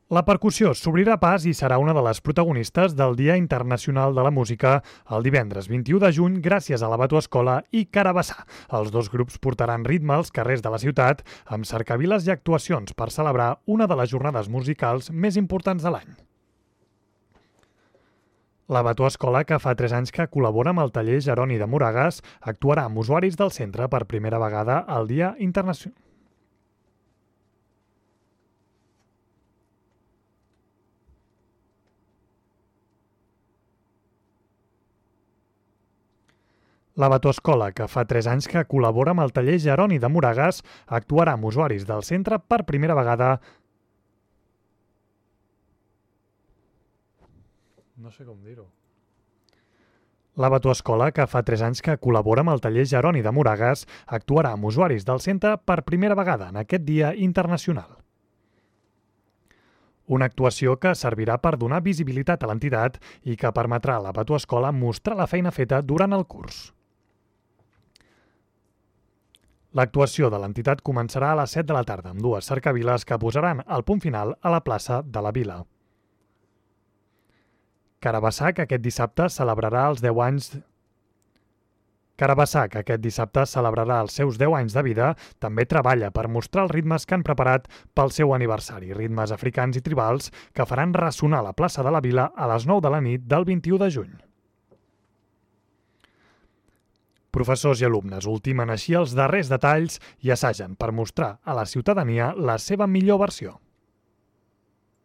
La percussió s'obrirà pas i serà una de les protagonistes del Dia Internacional de la Música el divendres 21 de juny gràcies a la Batuescola i Carabassà. Els dos grups portaran ritme als carrers de la ciutat amb cercaviles i actuacions per celebrar una de les jornades musicals més importants de l'any. La Batuescola, que fa 3 anys que col·labora amb el taller Jeroni de Moragas, actuarà amb usuaris del centre per primera vegada al Dia Internacional. La Batuescola, que fa 3 anys que col·labora amb el taller Jeroni de Moragas, actuarà amb usuaris del centre per primera vegada. No sé com dir-ho. La Batuescola, que fa 3 anys que col·labora amb el taller Jeroni de Moragas, actuarà amb usuaris del centre per primera vegada en aquest Dia Internacional. Una actuació que servirà per donar visibilitat a l'entitat i que permetrà a la Batuescola mostrar la feina feta durant el curs. L'actuació de l'entitat començarà a les 7 de la tarda amb dues cercaviles que posaran el punt final a la plaça de la Vila. Carabassà, que aquest dissabte celebrarà els 10 anys... Carabassà, que aquest dissabte celebrarà els seus 10 anys de vida, també treballa per mostrar els ritmes que han preparat pel seu aniversari, ritmes africans i tribals que faran ressonar la plaça de la Vila a les 9 de la nit del 21 de juny. Professors i alumnes ultimen així els darrers detalls i assagen per mostrar a la ciutadania la seva millor versió.